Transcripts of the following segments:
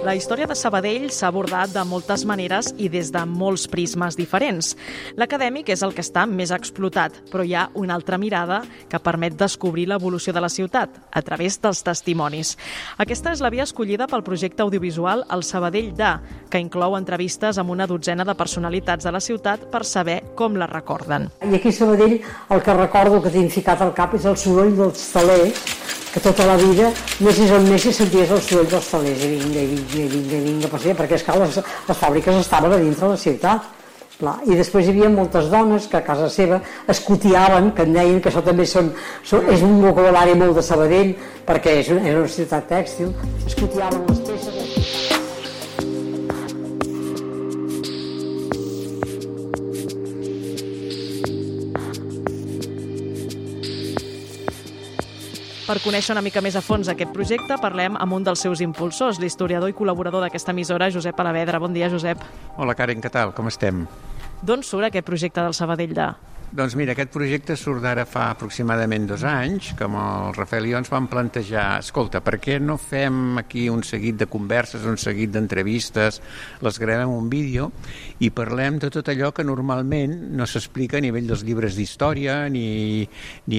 La història de Sabadell s'ha abordat de moltes maneres i des de molts prismes diferents. L'acadèmic és el que està més explotat, però hi ha una altra mirada que permet descobrir l'evolució de la ciutat a través dels testimonis. Aquesta és la via escollida pel projecte audiovisual El Sabadell de, que inclou entrevistes amb una dotzena de personalitats de la ciutat per saber com la recorden. I aquí a Sabadell el que recordo que tinc ficat al cap és el soroll dels telers, que tota la vida, anessis on anessis, senties el soroll dels telers, i vinga, perquè esclar, les fàbriques estaven a dintre de la ciutat. I després hi havia moltes dones que a casa seva escotiaven, que en deien que això també és un vocabulari molt de Sabadell, perquè és una ciutat tèxtil, escotiaven les peces. Per conèixer una mica més a fons aquest projecte, parlem amb un dels seus impulsors, l'historiador i col·laborador d'aquesta emissora, Josep Alavedra. Bon dia, Josep. Hola, Karen, què tal? Com estem? D'on surt aquest projecte del Sabadell de? Doncs mira, aquest projecte surt d'ara fa aproximadament 2 anys, que amb el Rafael i jo ens vam plantejar, escolta, per què no fem aquí un seguit de converses, un seguit d'entrevistes, les gravem un vídeo i parlem de tot allò que normalment no s'explica a nivell dels llibres d'història ni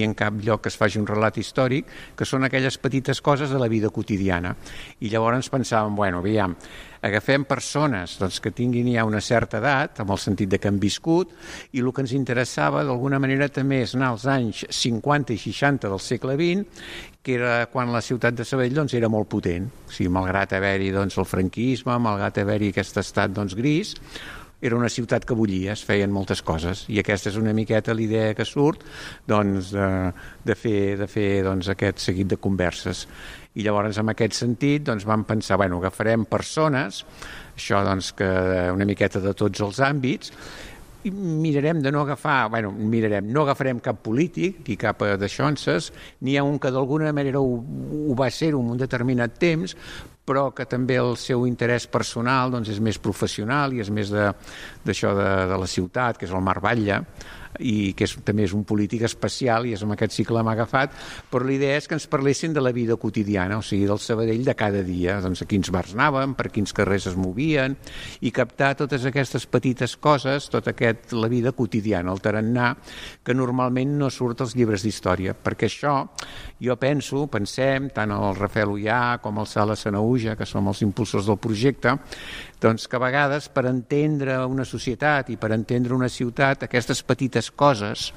en cap lloc que es faci un relat històric, que són aquelles petites coses de la vida quotidiana. I llavors pensàvem, bueno, aviam, agafem persones que tinguin ja una certa edat, amb el sentit de que han viscut, i el que ens interessava d'alguna manera també és anar als anys 50 i 60 del segle XX, que era quan la ciutat de Sabadell era molt potent. O sigui, malgrat haver-hi el franquisme, malgrat haver-hi aquest estat gris, era una ciutat que bullia, es feien moltes coses, i aquesta és una miqueta l'idea que surt de fer aquest seguit de converses. I llavors, en aquest sentit, vam pensar, agafarem persones, això que una miqueta de tots els àmbits, i mirarem de no agafar, no agafarem cap polític ni cap d'aixonses, n'hi ha un que d'alguna manera ho va ser en un determinat temps, però que també el seu interès personal és més professional i és més d'això de la ciutat, que és el Marc Batlle, i que també és un polític especial i és amb aquest cicle l'hem agafat, però l'idea és que ens parlessin de la vida quotidiana, o sigui, del Sabadell de cada dia, a quins bars anàvem, per quins carrers es movien, i captar totes aquestes petites coses, la vida quotidiana, el tarannà, que normalment no surt als llibres d'història, perquè això, jo pensem, tant el Rafael Ullà com el Sala Sanauja, que som els impulsors del projecte, que a vegades per entendre una societat i per entendre una ciutat, aquestes petites coses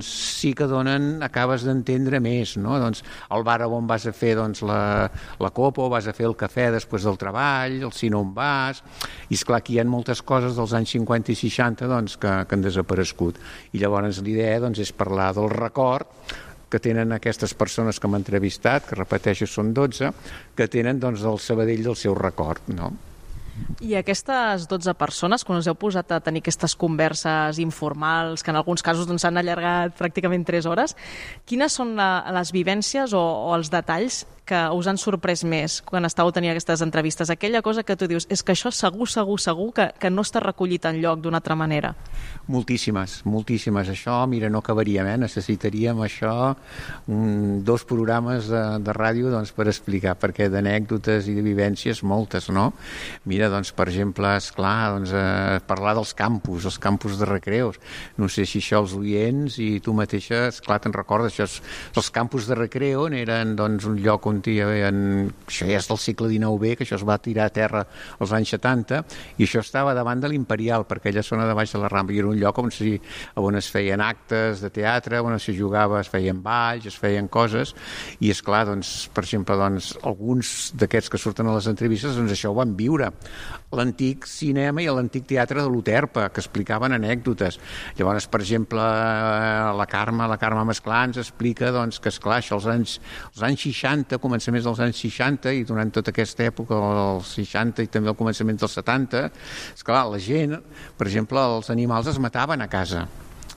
sí que acabes d'entendre més, no? El bar on vas a fer la copa, o vas a fer el cafè després del treball, el cine on vas, i esclar, aquí hi ha moltes coses dels anys 50 i 60 que han desaparegut, i llavors l'idea és parlar del record que tenen aquestes persones que hem entrevistat, que repeteixo són 12, que tenen del Sabadell del seu record, no? I aquestes 12 persones, quan us heu posat a tenir aquestes converses informals, que en alguns casos s'han allargat pràcticament 3 hores, quines són les vivències o els detalls que us han sorprès més quan estàveu tenint aquestes entrevistes? Aquella cosa que tu dius, és que això segur que no està recollit enlloc d'una altra manera. Moltíssimes. Això, mira, no acabaríem, necessitaríem això 2 programes de ràdio per explicar, perquè d'anècdotes i de vivències moltes, no? Mira, per exemple, esclar, parlar dels campus, els campus de recreus. No sé si això els oients i tu mateixa, esclar, te'n recordes, els campus de recreu eren un lloc on això ja és del segle XIX, que això es va tirar a terra als anys 70, i això estava davant de l'Imperial, per aquella zona de baix de la Rambla, i era un lloc on es feien actes de teatre, on es jugava, es feien balls, es feien coses, i esclar, per exemple, alguns d'aquests que surten a les entrevistes, això ho van viure. L'antic cinema i l'antic teatre de l'Uterpa, que explicaven anècdotes. Llavors, per exemple, la Carme Masclà ens explica que, esclar, això als anys 60, començaments dels anys 60, i durant tota aquesta època, els 60 i també al començament dels 70, esclar, la gent, per exemple, els animals es mataven a casa.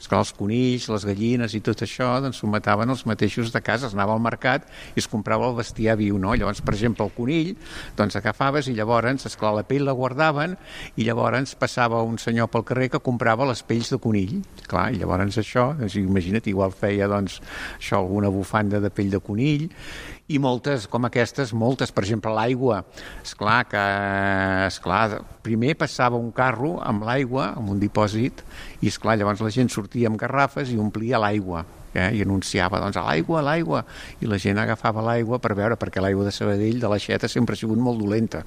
Esclar, els conills, les gallines i tot això s'ho mataven els mateixos de casa, es anava al mercat i es comprava el bestiar viu, no? Llavors, per exemple, el conill, agafaves i llavors, esclar, la pell la guardaven i llavors passava un senyor pel carrer que comprava les pells de conill. Clar, i llavors això, imagina't, igual feia això, alguna bufanda de pell de conill, I moltes, com aquestes, moltes, per exemple, l'aigua. Esclar, primer passava un carro amb l'aigua, amb un dipòsit, i esclar, llavors la gent sortia amb garrafes i omplia l'aigua. I anunciava, doncs, a l'aigua, i la gent agafava l'aigua per veure, perquè l'aigua de Sabadell, de l'Aixeta, sempre ha sigut molt dolenta.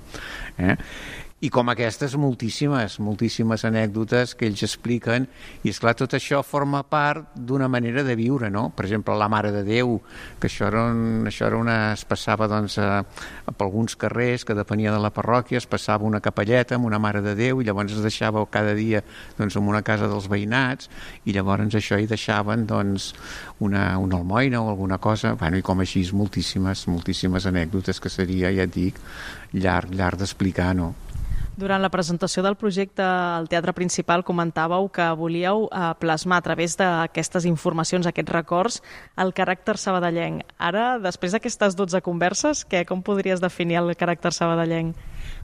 I com aquestes, moltíssimes anècdotes que ells expliquen, i esclar, tot això forma part d'una manera de viure, no? Per exemple, la Mare de Déu, que això es passava doncs, per alguns carrers que depenia de la parròquia, es passava una capelleta amb una Mare de Déu i llavors es deixava cada dia doncs, en una casa dels veïnats i llavors això hi deixaven doncs, una almoina o alguna cosa, bueno, i com així moltíssimes anècdotes que seria, ja et dic, llarg d'explicar, no? Durant la presentació del projecte al Teatre Principal comentàveu que volíeu plasmar a través d'aquestes informacions, aquests records, el caràcter sabadellenc. Ara, després d'aquestes 12 converses, com podries definir el caràcter sabadellenc?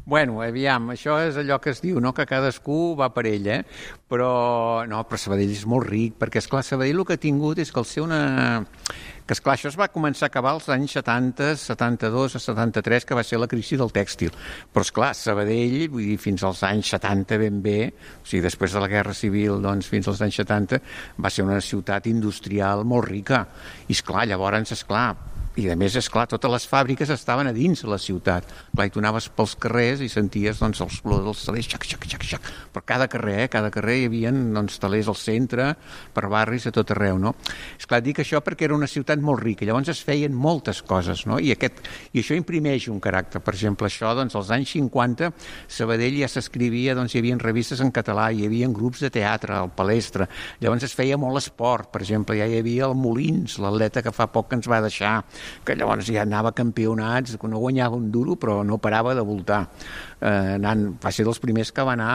Bueno, aviam, això és allò que es diu, no? Que cadascú va per ell, però Sabadell és molt ric, perquè, esclar, Sabadell el que ha tingut és que el ser una... Que, esclar, això es va començar a acabar als anys 70, 72 a 73, que va ser la crisi del tèxtil. Però, esclar, Sabadell, vull dir, fins als anys 70 ben bé, o sigui, després de la Guerra Civil, doncs, fins als anys 70, va ser una ciutat industrial molt rica. I, esclar, llavors, esclar, i a més, esclar, totes les fàbriques estaven a dins de la ciutat. Clar, i tu anaves pels carrers i senties doncs, els olors dels talers, xac. Per cada carrer hi havia doncs, talers al centre, per barris, a tot arreu, no? Esclar, dic això perquè era una ciutat molt rica, llavors es feien moltes coses, no? I això imprimeix un caràcter. Per exemple, això, doncs, als anys 50, Sabadell ja s'escrivia, doncs, hi havia revistes en català, hi havia grups de teatre, al Palestra, llavors es feia molt esport, per exemple, ja hi havia el Molins, l'atleta que fa poc que ens va deixar, que llavors ja anava a campionats, que no guanyava un duro, però no parava de voltar. Va ser dels primers que va anar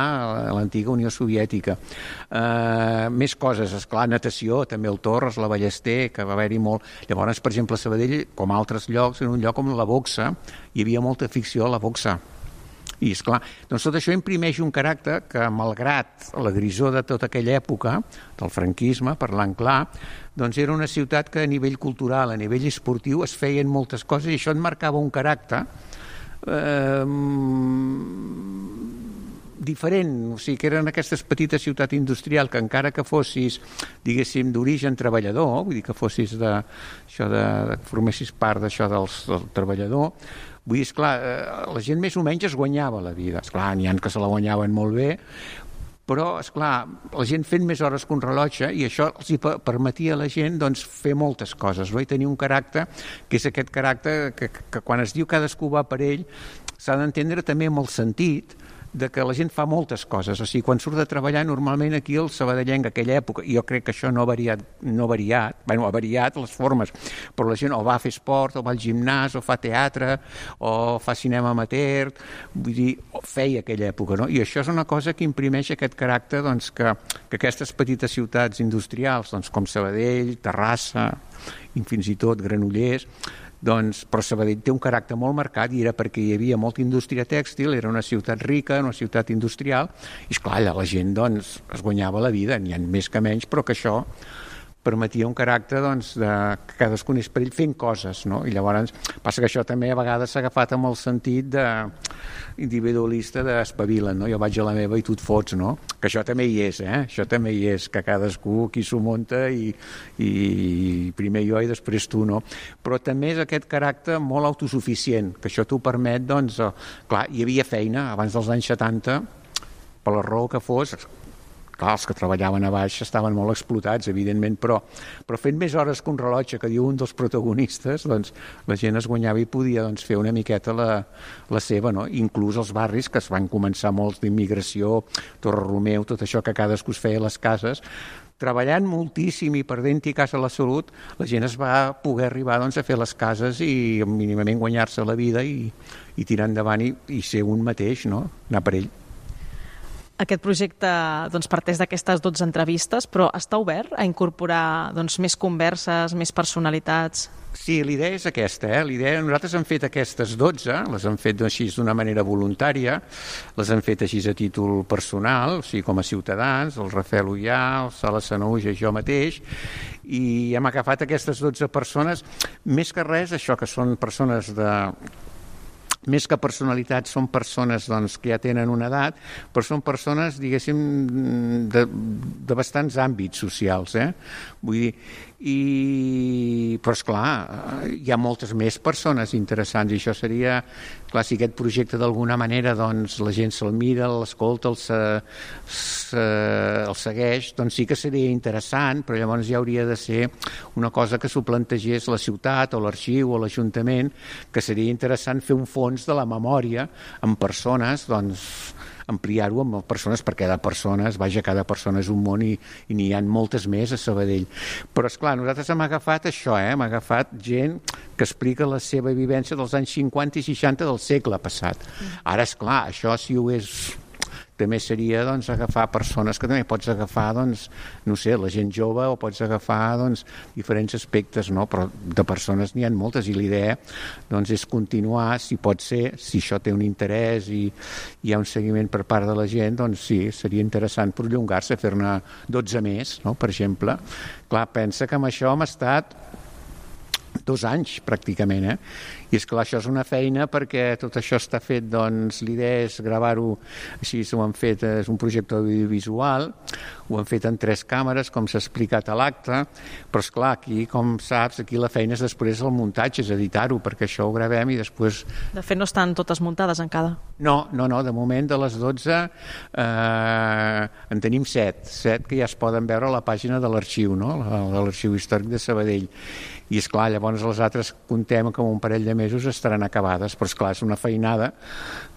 a l'antiga Unió Soviètica. Més coses, esclar, natació, també el Torres, la Ballester, que va haver-hi molt. Llavors, per exemple, a Sabadell, com altres llocs, en un lloc com la boxa, hi havia molta afició a la boxa. I, esclar, doncs tot això imprimeix un caràcter que, malgrat la grisor de tota aquella època, del franquisme, parlant clar, doncs era una ciutat que a nivell cultural, a nivell esportiu, es feien moltes coses i això et marcava un caràcter diferent, o sigui, que eren aquestes petites ciutats industrials que encara que fossis, diguéssim, d'origen treballador, vull dir que fossis formessis part d'això del treballador, vull dir, esclar, la gent més o menys es guanyava la vida. Esclar, n'hi ha que se la guanyaven molt bé, però, esclar, la gent fent més hores que un rellotge i això els permetia a la gent doncs, fer moltes coses, no? I tenir un caràcter, que és aquest caràcter que quan es diu cadascú va per ell, s'ha d'entendre també amb el sentit de que la gent fa moltes coses, o sigui, quan surt de treballar normalment aquí el sabadellenc aquella època, i jo crec que això no ha variat les formes, però la gent o va a fer esport, o va al gimnàs, o fa teatre, o fa cinema amateur, vull dir, feia aquella època, no? I això és una cosa que imprimeix aquest caràcter doncs, que aquestes petites ciutats industrials, doncs, com Sabadell, Terrassa, i fins i tot Granollers, doncs, però Sabadell té un caràcter molt marcat i era perquè hi havia molta indústria tèxtil, era una ciutat rica, una ciutat industrial, i esclar, la gent doncs, es guanyava la vida, n'hi ha més que menys, però que això permetia un caràcter doncs, que cadascú és per ell fent coses, no? I llavors passa que això també a vegades s'ha agafat amb el sentit individualista d'espavila'n, no? Jo vaig a la meva i tu et fots, no? Que això també hi és, això també hi és, que cadascú qui s'ho munta i primer jo i després tu, no? Però també és aquest caràcter molt autosuficient, que això t'ho permet, doncs, clar, hi havia feina abans dels anys 70, per la raó que fos. Clar, els que treballaven a baix estaven molt explotats, evidentment, però fent més hores que un rellotge, que diu un dels protagonistes, doncs la gent es guanyava i podia doncs, fer una miqueta la seva, no? Inclús els barris, que es van començar molts d'immigració, Torre Romeu, tot això que cadascú es feia a les cases, treballant moltíssim i perdent-hi casa la salut, la gent es va poder arribar doncs, a fer les cases i mínimament guanyar-se la vida i tirar endavant i ser un mateix, no? Anar per ell. Aquest projecte doncs, parteix d'aquestes 12 entrevistes, però està obert a incorporar doncs, més converses, més personalitats? Sí, l'idea és aquesta. Nosaltres hem fet aquestes 12, les hem fet així d'una manera voluntària, les hem fet així a títol personal, o sigui, com a ciutadans, el Rafael Ullà, el Sala Sanaúja i jo mateix, I hem agafat aquestes 12 persones, més que res, això, que són persones més que personalitats, són persones doncs, que ja tenen una edat, però són persones, diguéssim, de bastants àmbits socials. Vull dir, però esclar, hi ha moltes més persones interessants i això seria, clar, si aquest projecte d'alguna manera doncs, la gent se'l mira, l'escolta, el segueix, doncs sí que seria interessant, però llavors ja hauria de ser una cosa que s'ho plantegés la ciutat o l'arxiu o l'Ajuntament, que seria interessant fer un fons de la memòria amb persones, doncs ampliar-ho amb persones, perquè cada persona és un món i n'hi ha moltes més a Sabadell. Però, esclar, nosaltres hem agafat això, hem agafat gent que explica la seva vivència dels anys 50 i 60 del segle passat. Ara, esclar, això si ho és... també seria doncs, agafar persones que també pots agafar, doncs, no sé, la gent jove o pots agafar doncs, diferents aspectes, no? Però de persones n'hi ha moltes i l'idea doncs, és continuar, si pot ser, si això té un interès i hi ha un seguiment per part de la gent, doncs sí, seria interessant prolongar-se, fer-ne 12 més, no? Per exemple. Clar, pensa que amb això hem estat 2 anys pràcticament, I és clar, això és una feina perquè tot això està fet, doncs l'idea és gravar-ho, així ho han fet, és un projecte audiovisual, ho han fet en 3 càmeres, com s'ha explicat a l'acte, però és clar, aquí, com saps, aquí la feina és després el muntatge, és editar-ho, perquè això ho gravem i després... De fet, no estan totes muntades encara. No, de moment de les 12 en tenim 7 que ja es poden veure a la pàgina de l'arxiu, no? De l'Arxiu Històric de Sabadell. I esclar, llavors les altres contem que un parell de mesos estaran acabades, però esclar, és una feinada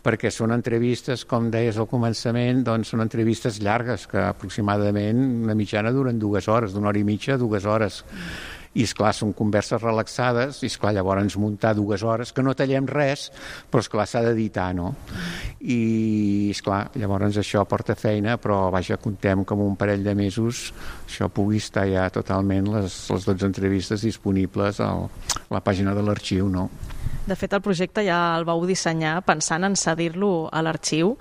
perquè són entrevistes, com deies al començament, doncs són entrevistes llargues que aproximadament una mitjana duren 2 hores, d'1 hora i mitja a 2 hores. I esclar, són converses relaxades i esclar, llavors muntar 2 hores, que no tallem res, però esclar, s'ha d'editar, no? I esclar, llavors això porta feina, però vaja, contem com un parell de mesos això pugui estar ja totalment les 12 entrevistes disponibles a la pàgina de l'arxiu, no? De fet, el projecte ja el vau dissenyar pensant en cedir-lo a l'arxiu.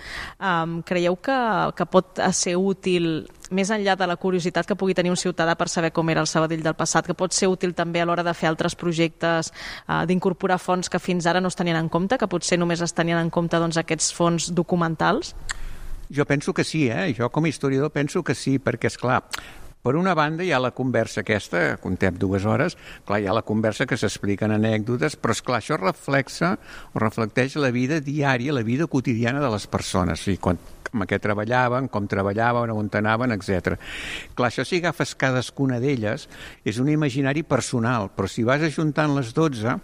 Creieu que pot ser útil, més enllà de la curiositat que pugui tenir un ciutadà per saber com era el Sabadell del passat, que pot ser útil també a l'hora de fer altres projectes, d'incorporar fons que fins ara no es tenien en compte, que potser només es tenien en compte doncs, aquests fons documentals? Jo penso que sí, Jo com a historiador penso que sí, perquè, esclar, per una banda hi ha la conversa aquesta, contem 2 hores, clar, hi ha la conversa que s'expliquen anècdotes, però esclar, això reflecteix la vida diària, la vida quotidiana de les persones, amb què treballaven, com treballaven, on anaven, etc. Clar, això si agafes cadascuna d'elles és un imaginari personal, però si vas ajuntant les 12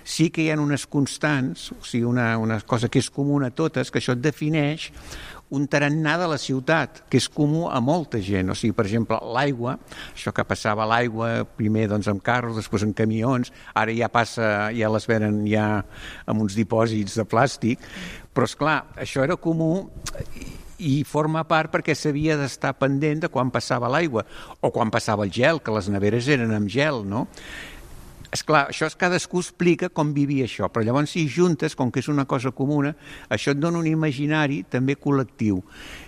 sí que hi ha unes constants, o sigui, una cosa que és comuna a totes, que això et defineix un tarannà de la ciutat, que és comú a molta gent. O sigui, per exemple, l'aigua, això que passava l'aigua primer doncs, amb carros, després en camions, ara ja les venen ja amb uns dipòsits de plàstic, però esclar, això era comú i forma part perquè s'havia d'estar pendent de quan passava l'aigua o quan passava el gel, que les neveres eren amb gel, no? Esclar, això cadascú explica com vivia això, però llavors si juntes, com que és una cosa comuna, això et dona un imaginari també col·lectiu.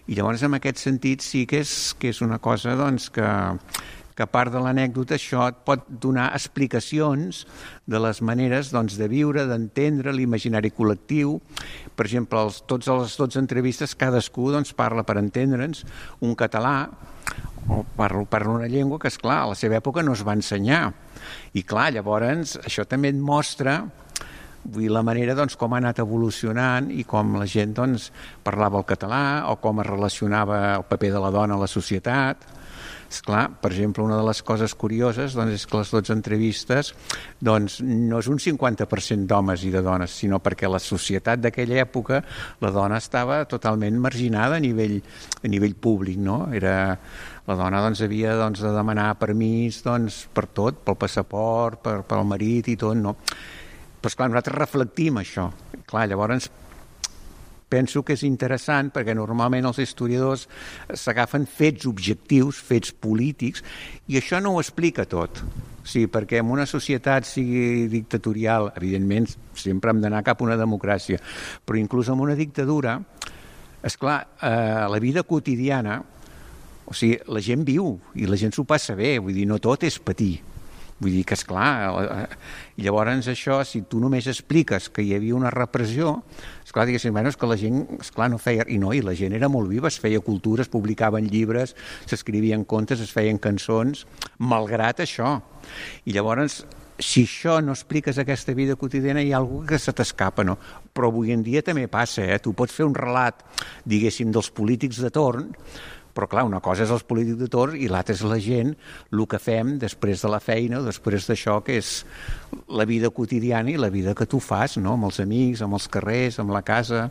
I llavors en aquest sentit sí que és una cosa doncs, que a part de l'anècdota això et pot donar explicacions de les maneres doncs, de viure, d'entendre l'imaginari col·lectiu. Per exemple, totes les 12 entrevistes cadascú doncs, parla per entendre'ns un català o parla una llengua que, esclar, a la seva època no es va ensenyar. I clar, llavors això també et mostra la manera doncs, com ha anat evolucionant i com la gent doncs, parlava el català o com es relacionava el paper de la dona a la societat. Esclar, per exemple, una de les coses curioses doncs, és que les 12 entrevistes doncs, no és un 50% d'homes i de dones, sinó perquè la societat d'aquella època la dona estava totalment marginada a nivell públic, no? La dona doncs, havia doncs, de demanar permís doncs, per tot, pel passaport, pel marit i tot, no? Però esclar, nosaltres reflectim això. Clar, llavors penso que és interessant perquè normalment els historiadors s'agafen fets objectius, fets polítics, i això no ho explica tot. Sí, perquè en una societat sigui dictatorial, evidentment sempre hem d'anar cap a una democràcia, però inclús en una dictadura, esclar, la vida quotidiana, o o sigui, la gent viu i la gent s'ho passa bé, vull dir, no tot és patir. Vull dir que, esclar, llavors això, si tu només expliques que hi havia una repressió, esclar, diguéssim, bueno, és que la gent, esclar, no feia... I no, i la gent era molt viva, es feia cultura, es publicaven llibres, s'escrivien contes, es feien cançons, malgrat això. I llavors, si això no expliques aquesta vida quotidiana, hi ha alguna que se t'escapa, no? Però avui en dia també passa, Tu pots fer un relat, diguéssim, dels polítics de torn, però clar, una cosa és els polítics de torn i l'altra és la gent, el que fem després de la feina, després d'això, que és la vida quotidiana i la vida que tu fas, no? Amb els amics, amb els carrers, amb la casa.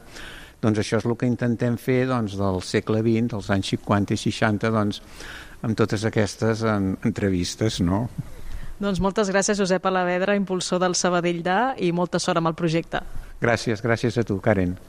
Doncs això és el que intentem fer doncs, del segle XX, dels anys 50 i 60, doncs, amb totes aquestes entrevistes, no? Doncs moltes gràcies, Josep Alavedra, impulsor del Sabadell DA, i molta sort amb el projecte. Gràcies a tu, Karen.